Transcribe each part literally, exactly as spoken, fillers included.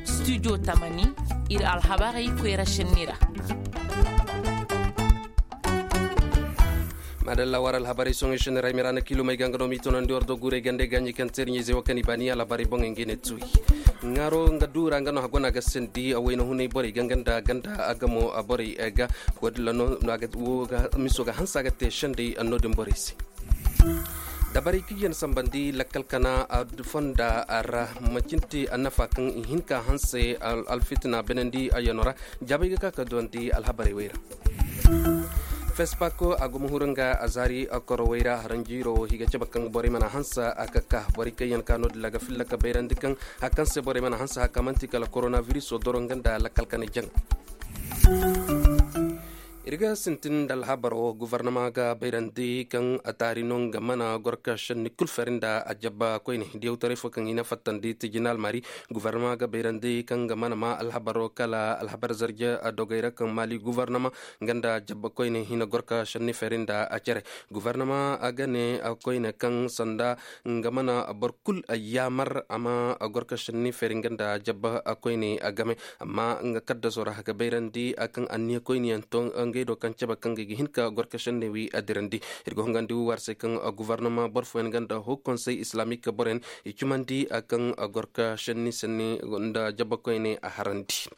Studio tamani, ir alhabarey koyra šenni ra. Madalla war alhabarey soŋey šenni ra ay mira na kilomey ga nga no m'i tunandi war do guurey gandey ga ɲi kaŋ teeri ɲayzey wo kaŋ i baani alhabarey boŋey nga i ne tuuyi. Ŋaaro nga duura nga no hagona ga sendi a wayna hunay borey ga nga nda ganda a gamo borey ga. Wo- din ra no miso ga hanse a ga te sendey no- din borey se. Dabarey kaŋ yaŋ sambandi lakkal kana fonda ra, macinte annafa kaŋ i hin ka hanse alfitina benandi a yaŋo ra. Jaabay ga ka ka duwandi alhabarey wey ra. Fespako a go ma huru nga a zaari korowey ra haranjiiro wo higa cabe kaŋ borey mana hanse a ka ka borey kaŋ yaŋ ka no- din ra ga filla ka bayrandi kaŋ hari kaŋ se borey mana hanse hari kaŋ man'ti kala koronabiriso doro nga nda lakkal kanay jaŋa. Ir ga sintin nda alhabar wo gofornama ga bayrandi kaŋ a taari no nga mana goro ka šenni kul feri nda a jabba koyne diyawtaray fo kaŋ i na fattandi tijinal mari. Gofornama ga bayrandi kaŋ nga mana ma alhabar wo kala alhabar zarje a dogey ra kaŋ maali gofornama nga nda jabba koyne i na goro ka šenni feri nda a cere. Gofornama a ga ne koyne kaŋ sanda nga mana boro kul yaamar a ma goro ka šenni feri nga nda jabba koyne a game. Amma nga kaddaso ra ga bayrandi kaŋ anniya koyne yaŋ to ngey do kaŋ cabe kaŋ ga hin ka goro ka šenni wi a dirandi. Ir ga hungandi wi war se kaŋ gofornama boro fooyaŋ nga nda hau konsey islamik boroyaŋ i cumandi kaŋ goro ka šenni senni nda jabba koyne a harandi.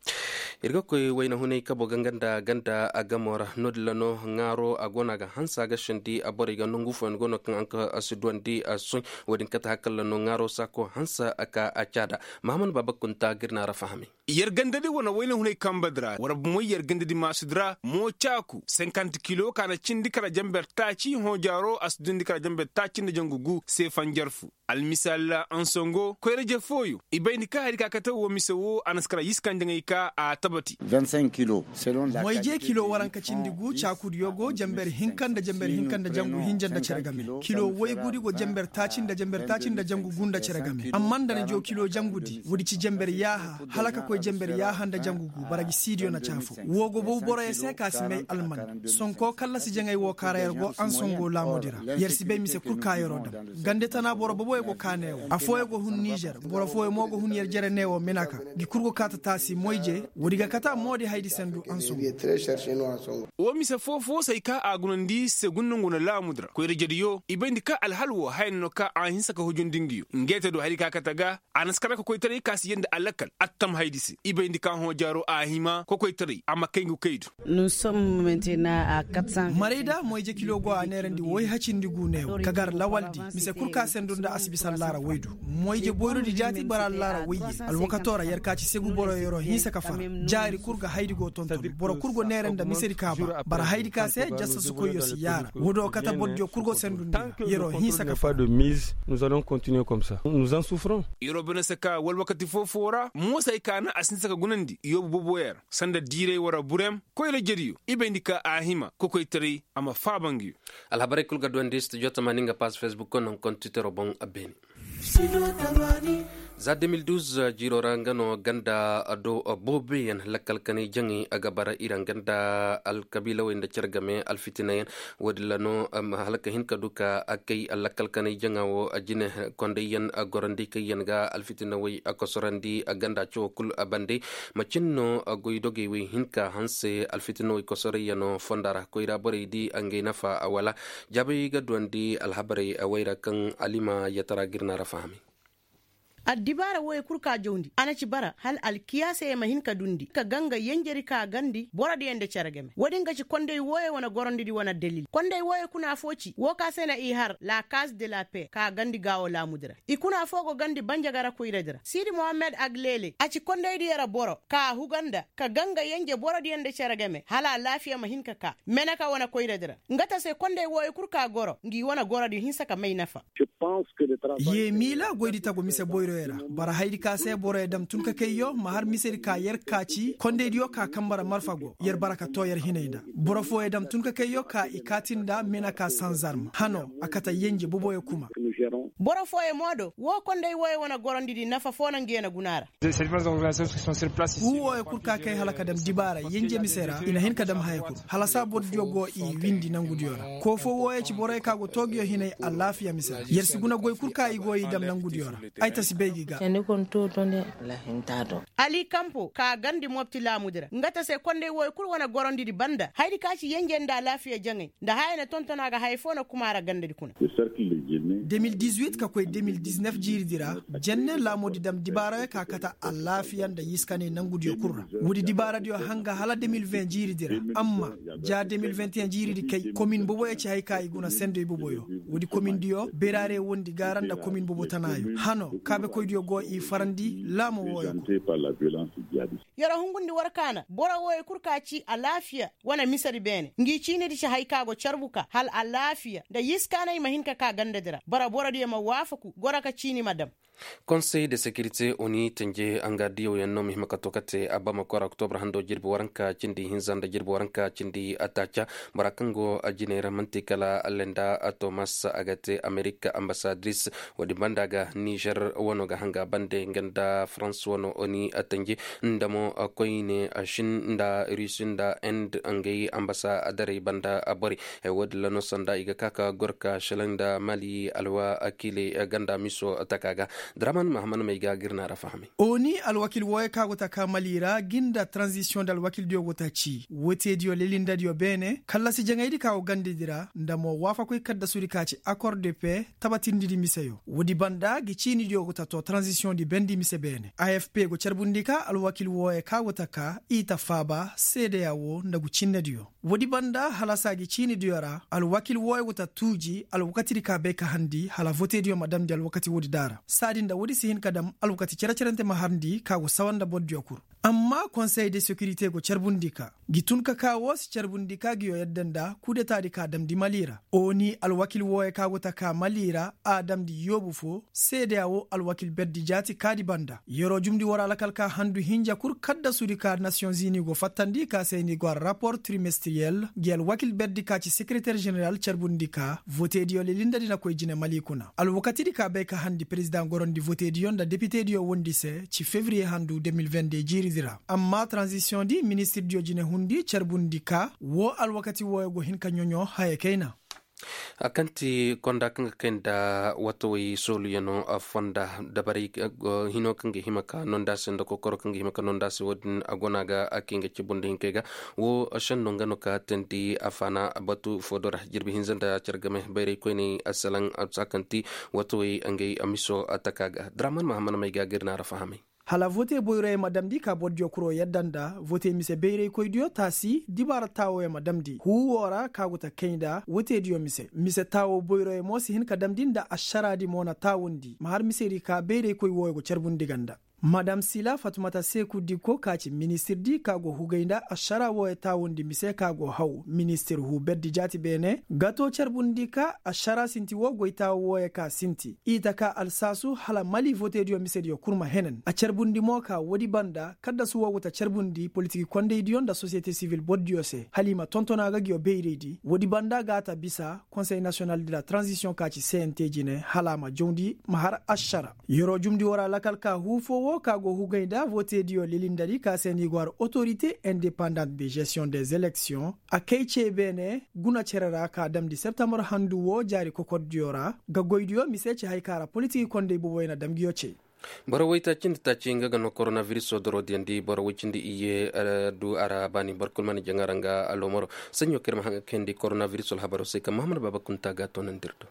Ir ga koy wayna hunay kabo ga nga nda ganda a gamo ra no- din ra no ŋaaro a go no a ga hanse a ga sendi a borey ga nangu fooyaŋ go no kaŋ a si duwandi a soy. Wo- din kate hari kaŋ ra no ŋaaro saako hanse a ka a caada. Mahamad baaba kunta ga ir na a ra fahamay. Yer gandadi wane wayna hunay kambadi ra war bumoy yer gandadi maasudi ra mo caaku senkant kilo ka na cindi kala jamber taaci hõ jaaro a si dundi kala jamber taaci nda jangu gu se fanjar fu. Almisaal ra ansongo koyra-je fooyo i bayndi ka hari ka kate woo mise woo a na si kara yiskanjaŋey ka a tabati. Moy-je kilo waranka cindi gu caakudiyo go jamber hinka nda jamber hinka nda jangu hinja nda cere game. Kilo woy gudi go jamber taaci nda jamber taaci nda jangu gu nda cere game amma nda na joo kilo jangudi woodi ci jamber yaaha hala ka koy jamber yaaha nda jangu gu bara gi siidiyo na caafo. Woo go bow boroyo se ka si may alman sonko kallasi jaŋay woo kaara yer go ansongo laamudi ra. Yer si bay mise kul ka yeroo dam gande tana boro boboyo go kaa neewo afooyo go hun nizer boro fooyo mo go hun yer jere neewo minaka. Ngi kul go kaa ta taasi moy-je woodi ga kata moodi haydi sendu ansongo. Woo mise foo-foo se ay kaa a gunandi segundu ngu na laamudi ra koyra-jediyo i bayndi ka alhal woo haya no ka a hinsa ka hujundi ngiyo ngey te du hari ka kate ga. A na si kara ka koytaray ka si yee nda a lakkal attam haydi se i bayndi ka hõ jaaro a hima ka koytaray a ma kay ngu kay du. Marayda moy-je kilo go a neerandi woy hacindi gu neewo ka gar lawaldi mise kul ka sendu nda a si bisa allaara woy du. Moy-je boyrodi jaati bara allaara woy ye alwakato ra yer ka ci segu boro yeroo hinsa ka fara. Jaari kul ga haydi go tonton boro kul go neera nda misedi ka ba bara haydi ka se jasasukoyyo si yaara woodoo kate borodiyo kul go sendu nda yeroo hinsa ka fara. Nous allons continuer comme ça nous en souffrons. Yeroo bine se ka wala wakati foo-foo ra moosay ka na a si hinsa ka gunandi yoobu boboyaŋ ra sanda diiray wara burem koyra-jediyo i bayndi ka a hima kokoytaray a ma faaba ngiyo. Alhabarey kul ga duwandi studio tamaani nga paas facebook ko naŋ kontiteroo boŋ a beene. Za de mil duz jiiroo ra nga no ganda do booboyaŋ lakkal kanay jaŋay a ga bara ira nga nda alkabiilawey nda cere game alfitinayaŋ. Woodin ra no hala ka hin ka du ka kay lakkal kanay jaŋa wo jine kondayyaŋ gorandi kaŋyaŋ ga alfitinawey kosorandi ganda cawo kul bande. Macin no goydogey wey hin ka hanse alfitinawey kosorayyaŋo fonda ra koyra borey di ngey nafa wala? Jaabay ga duwandi alhabarey wey ra kaŋ alima yatara ga ir na ra fahamay. Addibaara wooyo kul ka jawndi a na ci bara hala alkiyaasey ma hin ka dundi ka ganga yenjeri ka gandi borodiyo nda cere game woodin ga ci konday wooyo wane gorondidi wane dalil konday wooyo kuna foo ci woo ka se na i har la kaaz de la pee ka gandi gaawo laamudi ra. I kuna foo go gandi banjagara koyradi ra siidi mohammed aglele a ci kondaydiyo ra boro ka a huga nda ka ganga yenje borodiyo nda cere game hala alaafiya ma hin ka kaa meneka wane koyradi ra. Nga ta se konday wooyo kul ka goro ngi wane gorodiyo hinsa ka may nafa. Yee miila goydi tagu mise boyro. Boro haydi ka se boroyo dam tun ka kayyo ma har misedi ka yer ka ci kondaydiyo ka kambara marfa go yer bara ka too yer hinay nda. Boro fooyo dam tun ka kayyo ka i kaati nda mena ka sanzarm hano a kate yenje boboyo kuma. Boro fooyo mo do woo konday wooyo wane gorondidi nafa foo na nga yer na guna ra. Huu wooyo kul ka kay hala ka dam dibaara yenje mise ra i na hin ka dam haya kul hala saa bordiyo go i windi nangudiyo ra. Koo foo wooyo ci boroyo ka go too nguyo hinay alaafiya mise ra yer si guna goy kul ka i go i dam nangudiyo ra. Ay ta si bay gi ga. Ali kampo ka gandi mopti laamudi ra nga ta se konday wooyo kul wane gorondidi banda hayadi ka ci yenje nda alaafiya jaŋay nda haya na tonton a ga haya foo na kuma a ra gandadi kuna. De mil dizuwit ka koy de mil diznef jiiridi ra. Jenne laamudi dam dibaarayo ka kate alaafiya nda yiskanay nangudiyo kul ra. Woodi dibaaradiyo hanga hala de mil ven jiiridi ra. Amma ja de mil venteyen jiiridi kay komin boboyo ci hay ka i guna sendey boboyo. Woodi komindiyo beraare wondi gaara nda komin bobo tanaayo hano kaabekoydiyo go i farandi laamo wooyo kul. Yer'o hungundi war kaana boro wooyo kul ka ci alaafiya wane misedi beene ngi ciinidi ci hay ka go carbu ka hala alaafiya nda yiskaanay ma hin ka ka gandadi ra bara borodiyo ma waafaku goro ka ciini ma dam. Konsey de sekirite oni tenje anga diyow yaŋ no ma hima ka to kate abama kora oktobre hando jirbi waranka cindi hinza nda jirbi waranka cindi ataaca. Bora kaŋ go jiney ra man'ti kala lenda tomas a ga te amerika ambasadiris. Woodin banda ga nizer wano ga hanga bande nga nda farans wano oni tenje nda mo koyne shin nda rusi nda end ngey ambasadaray banda borey. Woodin ra no sanda i ga ka ka goro ka shelaŋ nda mali alwakiiley ganda miso taka ga. Draman mahaman may ga ga ir na ra fahamay. Oni alwakiil wooyo ka go taka mali ra gi nda taranzisiyoŋ nda alwakiildiyo go ta ci woteediyo lelindadiyo beene kallasi jaŋaydi ka go gandadi ra nda mo waafakoy kaddasudi ka ci akor de pe tabatindidi miseyo woodi banda gi ciinidiyo go ta to taranzisiyoŋdi bendi mise beene afp go carbundi ka alwakiil wooyo ka go ta ka i ta faaba seedeya wo nda gu cinnediyo. Woodi banda halasa gi ciinidiyo ra alwakiil wooyo go ta tuuji alwakatidi ka bay ka harndi hala voteediyo ma damndi alwakati woodi da ra saadi nda woodi si hin ka dam alwakati cere-cerente ma harndi ka go sawa nda bordiyo kul. Amma konsey de sekirite go carbundi ka gi tun ka ka woo si carbundi ka nguyo yadda nda kudetaadi ka damndi mali ra. Oni alwakiil wooyo ka go ta ka mali ra a damndi yoobu foo seedeya woo alwakiil berdi jaati kaadi banda yer'o jumndi war alakal ka handu hinja kul kaddasudi ka nasiyoŋ zini go fattandi ka se ni go a rapor trimestiriyel ngi alwakiil berdi ka ci sekereter jeneral carbundi ka voteediyo lelindadi na koy jine mali kuna alwakatidi ka bay ka harndi perezidaŋ gorondi voteediyo nda depitediyo wondi se ci fevriye handu de mil vende jiiridi ra. Amma taranzisiyoŋdi ministirdiyo jinehundi carbundi ka woo alwakati wooyo go hin ka ɲoɲo haya kayna. A kaŋ ti konda kaŋ ga kay nda watawey sooluyaŋo fonda dabarey hino kaŋ ga hima ka nonda se nda kokoro kaŋ ga hima ka nonda se wo- din a go no a ga a kay nga cabu nda hinkey ga. Wo senno nga no ka teendi a faana batu foo do ra jirbi hinza nda care game bayray koyney a salaŋ a saa kaŋ ti watawey ngey miso taka ga draman mahaman may ga ga ir na ra fahamay. Hala vote boyroyaŋ ma damndi ka bordiyo kuro yadda nda vote mise bayraykoydiyo taasi dibaara taawoyaŋ ma damndi huu woo ra ka go ta kay nda voteediyo mise mise taawo boyroyaŋ mo si hin ka damndi nda ašaraadi mo na taawundi ma har misedi ka bayraykoy wooyo go carbundi ga nda madam sila fatumata seeku dikko ka ci ministirdi ka go hugay nda ašara wooyo taawundi mise ka go haw ministir huu berdi jaati beene ga to carbundi ka ašara sinti woo goy taawo wooyo ka sinti i ta ka alsaasu hala mali voteediyo misediyo kul ma henen a carbundi mo ka woodi banda kaddasu woo go ta carbundi politiki kondaydiyo nda sosiyete sivil bordiyo se hala i ma tonton a ga nguyo bayraydi woodi banda ga a ta bisa konsey nasiyonal de la taranzisiyoŋ ka ci cnt jine hala a ma jawndi ma har ašara. Yer'o jumndi war alakal ka huu foo woo ka go hugay nda voteediyo lelindadi ka se ni go har otorite indepandant de gestiyoŋ des eleksiyoŋ a kay cee beene guna cere ra ka damndi septembar handu woo jaari kokordiyo ra ga goydiyo mise ci hay ka ra politiki konday boboyaŋ na dam nguyo cey. Boro woytaaci nda taaci nga ga no koronabiriso doroodiyaŋ di boro woy cindi iyye du a ra baani boro kul mana jaŋ a ra nga loomaro. Saɲɲo kaŋ ir ma haŋ ga kayandi koronabiriso alhabaro se kaŋ mahamad baaba kunta ga a toonandi ir do.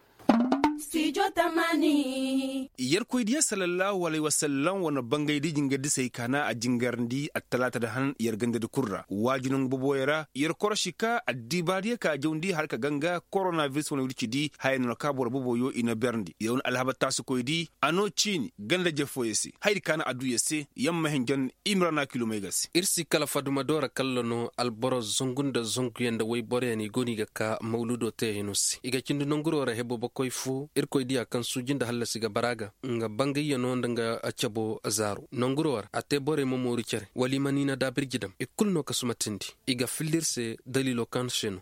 Yerkoydiyo sallallahu alayhi wasallam wane bangaydi jingardi se ay kaana a jingarndi attalaata da han yer gandadi kul ra waaji nangu boboyo ra yer korosi ka addibaadiyo ka jawndi har ka ganga koronabiris wane wircidi haya no na ka boro boboyo i na berndi yer wane alhaba taasikoydi a no ciini ganda jefooyo se hayadi kaana adduya se yamma hinjan imrana kilomay ga se. Ir si kala faduma doora kalla no alboro zangu nda zanguyaŋ nda wayboroyaŋ i go no i ga ka mawludo teeyano se i ga cindi nanguro ra hebo bakoy fo. Irkoy diya kaŋ suuji nda hallasi ga bara ga nga bangayyanoo nda nga cabo zaaro nonguroo ra a te borey ma mooru cere wala i ma niina daabirji dam i kulu no ka sumatindi. I ga filla ir se daliiloo kaŋ se no.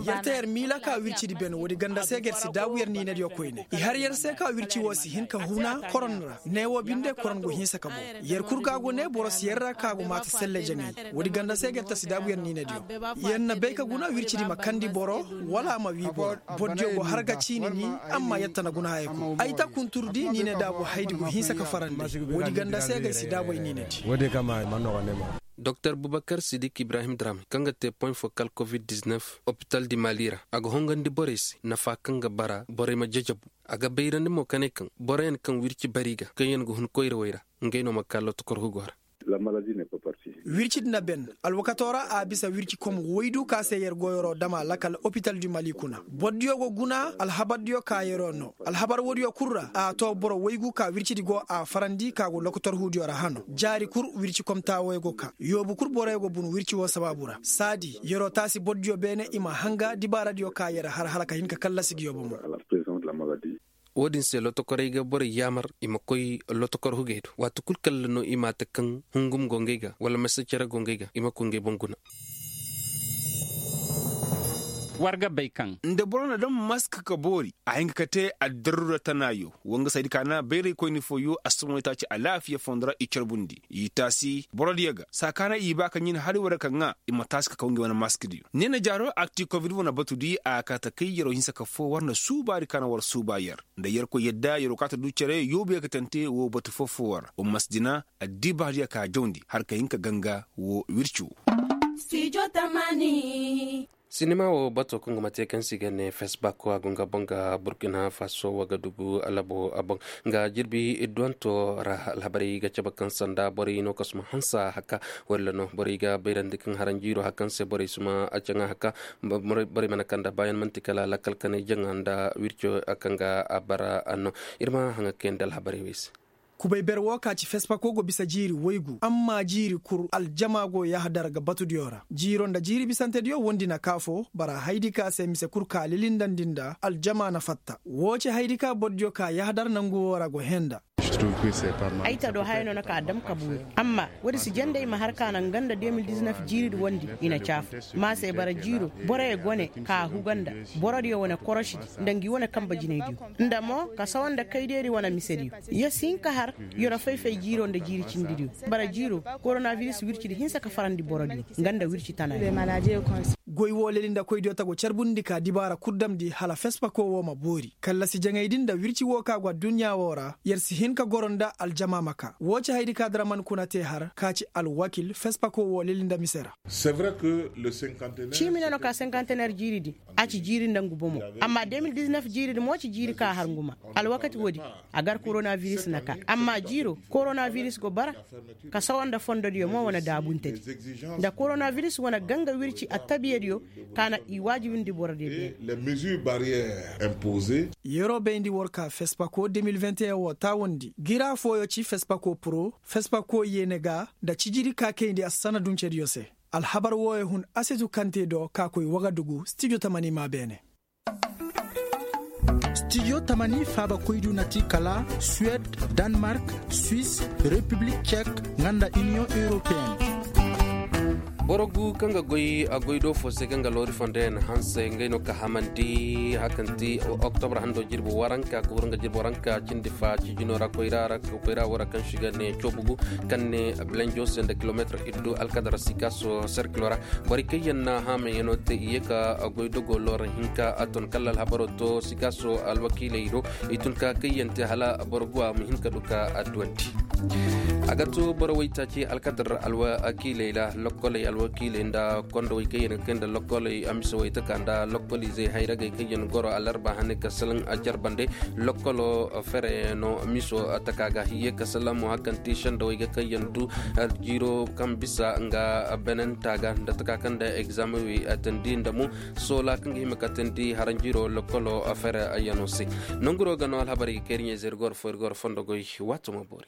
Yer te yer miila ka wircidi ben woodi ganda se ga yer si daabu yer niinadiyo koyne i har yer se ka wirci woo si hin ka huna koron ra neewoo binde koron go hinsa ka boŋ. Yer kul ga go ne boro si yer ra ka go maata selle jaŋay. Woodi ganda se ga yer ta si daabu yer niinadiyo. Yer na bay ka guna wircidi ma kandi boro wala a ma wii boro. Bordiyo go har ga ciini ni. Amma yer ta na guna haya kul ay ta kunturdi niine daabu haydi go hinsa ka farandi. Woodi ganda se ga ay si daabu ay niinadi. Doktor bubakar sidik ibrahim drame kaŋ ga te poy fo kal covid-19 opital di mali ra a ga hongandi borey se nafa kaŋ ga bara borey ma jajabu. A ga bayrandi mo ka ne kaŋ boroyaŋ kaŋ wirci bari ga kaŋ yaŋ ga hun koyrawey ra ngey no ma ka lotokor hugo ra. Wirci din na ben alwakatoo ra a bisa wirci kom woydu ka se yer goyoro dama lakal opital di mali kuna bordiyo go guna alhabardiyo ka yeroo no. Alhabar woodiyo kul ra a too boro woygu ka wircidi go a farandi ka go lokotor huudiyo ra hano jaari kul wirci komtaa woy go ka yoobu kul boroyo go bunu wirci woo sabaabu ra saadi yeroo taasi bordiyo beene i ma hanga dibaaradiyo ka yer har hala ka hin ka kallasi ga yoobo mo. Woo din se lotokorey ga borey yaamar i ma koy lotokor hugey do waati kul kalla no i ma a ta kaŋ hungum go ngey ga wala masa cere go ngey ga i ma koy ngey boŋ guna. War ga bay kaŋ nda boro na daŋ mask ka boori a hin ka te addarura tanaayo. Woo nga saydi ka na bayraykoyni fooyo a si moy taaci alaafiya fondo ra i carbundi i taasi borodiyo ga saa ka na i ba ka ɲin hari war ga ka ŋaa i ma taasi ka kaw ngey wane maskdiyo. Neena jaaro akti covid wane batudi a ga ka ta kay yeroo hinsa ka foo war nda suubaadi ka na war suuba yer nda yerkoy yadda yeroo ka ta du cere yoobu yer ga tante woo batu foo foo war umma si dina addibaadiyo ka jawndi har ka hin ka ganga woo wirci woo. Sinima woo bato kaŋ ga ma te kaŋ se i ga ne fesbako a go nga boŋ ga burkina faso wagadugu alabo a boŋ nga jirbi idduwanto ra alhabarey ga cabe kaŋ sanda borey no kasuma hansa haka walla no borey ga bayrandi kaŋ haranjiiro haka se borey suma a caŋa haka. Borey mana kanda bayan manti kala lakal kanay jaŋa nda wirco kaŋ ga a bara anno. Ir ma haŋa kayandi alhabarey wey se. Kubay ber woo ka ci fesfako go bisa jiiri woygu amma jiiri kul aljama go yahadar ga batudiyo ra jiiro nda jiiri bisantediyo wondi na kaafo bara haydi ka se mise kul ka lilindandi nda aljama na fatta. Woo ci haydi ka bordiyo ka yahadar nangu woo ra go hee nda. Ay ta do haya no na ka dam ka buuri amma woodi si jende i ma har ka naŋ ganda de mil diznef jiiridi wondi i na caafu. Maasey bara jiiro boroyo go ne ka huga nda borodiyo wane korosidi nda ngi wane kanba jinaydiyo nda mo ka sawa nda kaydeeri wane misediyo. Yer si hin ka har yer fay-fay jiiro nda jiiri cindidiyo. Bara jiiro koronabiris wircidi hinsa ka farandi borodiyo nga nda wirci tanaayo. Goy woo leli nda koydiyo ta go carbundi ka dibaara kul damndi hala fespako woo ma boori kallasi jaŋaydi nda wirci woo ka go adduɲɲa woo ra yer si hin ka goro nda aljama ma ka woo ci haydi ka daraman kuna te har ka ci alwakil fespako woo leli nda mise ra. Ciimi no no ka senkantener jiiridi a ci jiiri nda ngu bomo. Amma de mil diznef jiiridi mo ci jiiri ka har ngu ma alwakati woodi. A gar koronabiris na ka amma jiiro koronabiris go bara ka sawa nda fondodiyo mo wane daabuntedi nda koronabiris wane ganga wirci attabiyadiyo ka na i waajibindi borodiyo beene. Yeroo bayndi war ka fespako de mil vingt et un woo taawandi gira fooyo ci fespako puro fespako yeene ga nda cijiri ka kayndi assana duncediyo se. Alhabar wooyo hun asetu kaŋ te do ka koy wagadugu stijo tamani maa beene. Stijo tamani faabakoydu na ti kala suwed, danmark, swis, repiblik cek, nga nda iniyoŋ europeen. Boro gu kaŋ ga goy a goy do fo se kaŋ ga loori fondo yaŋ hanse ngey no ka hamandi hari kaŋ ti oktobra hando jirbi waranka ka huru nga jirbi waranka cindi fa cijino ra koyra ra koyra woo ra kaŋ se i ga ne coobu gu kaŋ ne bilenjo se nda kilometir iddu alkadara sikaaso serkilo ra. Borey kaŋ yaŋ na haamayaŋo te i ye ka goy dogo loora hinka a ton kala alhabaro to sikaaso alwakiiley do. I tun ka kaŋ yaŋ te hala boro guwa ma hin ka du ka adduwanti. A ga to boro waytaaci alkadar alwakiiley ra lokkoley alwakiiley nda kondowey kaŋ yaŋ ga kay nda lokkoley a mise waytaka nda lokkoliizey hayragey kaŋ yaŋ goro alarba hane ka salaŋ a jarbande. Lokkolo fere no miso taka ga hiye ka salaŋ mo hari kaŋ ti sendawey ga kaŋ yaŋ du jiiro kaŋ bisa nga benenta ga nda taka kaŋ nda egzamewey a tandi nda mo soola kaŋ ga hima ka tandi haranjiro lokkolo fere yaŋo se. Nanguro ga no alhabarey ga kay iri ɲayze iri goro fo iri goro fondo goy. Waato ma boori.